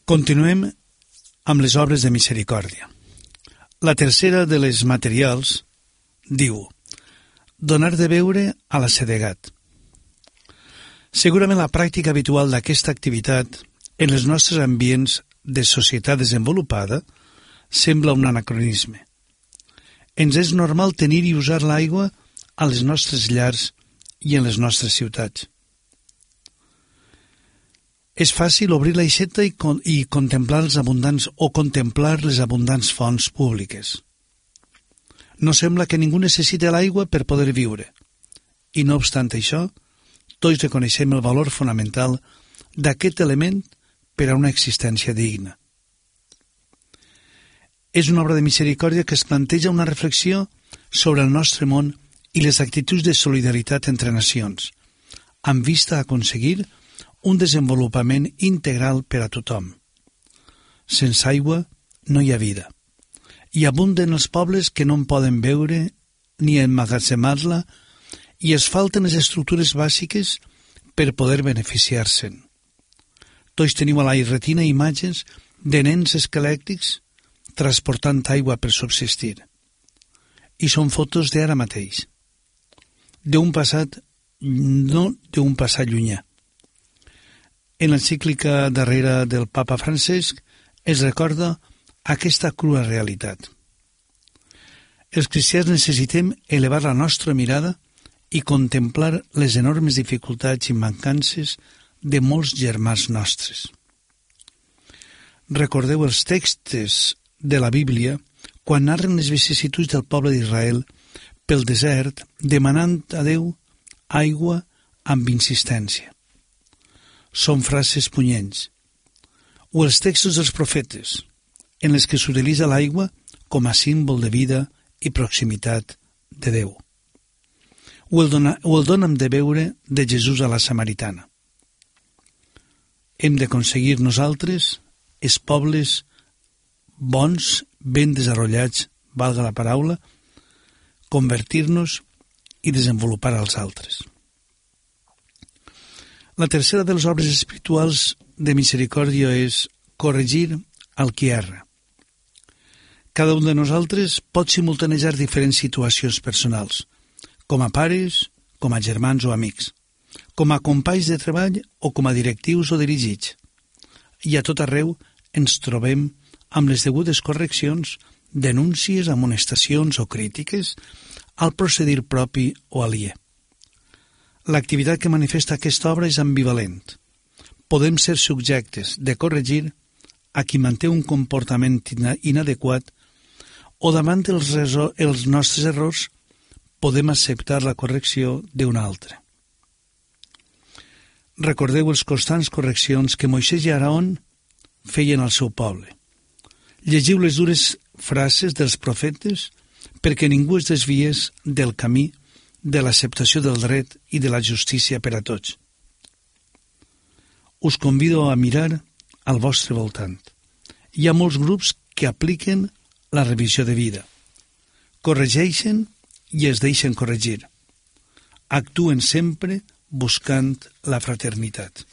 Continuem amb les obres de misericòrdia. La tercera de les materials diu: donar de beure a l'assedegat. Segurament la pràctica habitual d'aquesta activitat en els nostres ambients de societat desenvolupada sembla un anacronisme. Ens és normal tenir i usar l'aigua a les nostres llars i en les nostres ciutats. És fàcil obrir l'aixeta i contemplar les abundants fonts públiques. No sembla que ningú necessiti l'aigua per poder viure. I no obstant això, tots reconeixem el valor fonamental d'aquest element per a una existència digna. És una obra de misericòrdia que es planteja una reflexió sobre el nostre món i les actituds de solidaritat entre nacions, amb vista a aconseguir un desenvolupament integral per a tothom. Sense aigua no hi ha vida, i abunden els pobles que no en poden beure ni emmagatzemar-la, i es falten les estructures bàsiques per poder beneficiar-se'n. Tots teniu a la retina imatges de nens esquelèctics transportant aigua per subsistir. I són fotos d'ara mateix, d'un passat llunyà. En l'encíclica darrera del papa Francesc es recorda aquesta crua realitat. Els cristians necessitem elevar la nostra mirada i contemplar les enormes dificultats i mancances de molts germans nostres. Recordeu els textos de la Bíblia quan narren les vicissituds del poble d'Israel pel desert demanant a Déu aigua amb insistència. Són frases punyents. O els textos dels profetes, en els que s'utilitza l'aigua com a símbol de vida i proximitat de Déu. O el dona'm de beure de Jesús a la Samaritana. Hem d'aconseguir nosaltres, els pobles bons, ben desenvolupats, valga la paraula, convertir-nos i desenvolupar als altres. La tercera de les obres espirituals de misericòrdia és corregir al qui erra. Cada un de nosaltres pot simultanejar diferents situacions personals, com a pares, com a germans o amics, com a companys de treball o com a directius o dirigits. I a tot arreu ens trobem amb les degudes correccions, denúncies, amonestacions o crítiques al procedir propi o aliè. L'activitat que manifesta aquesta obra és ambivalent. Podem ser subjectes de corregir a qui manté un comportament inadequat o davant els nostres errors podem acceptar la correcció d'un altre. Recordeu les constants correccions que Moisès i Aarón feien al seu poble. Llegiu les dures frases dels profetes perquè ningú es desviés del camí de l'acceptació del dret i de la justícia per a tots. Us convido a mirar al vostre voltant. Hi ha molts grups que apliquen la revisió de vida. Corregeixen i es deixen corregir. Actuen sempre buscant la fraternitat.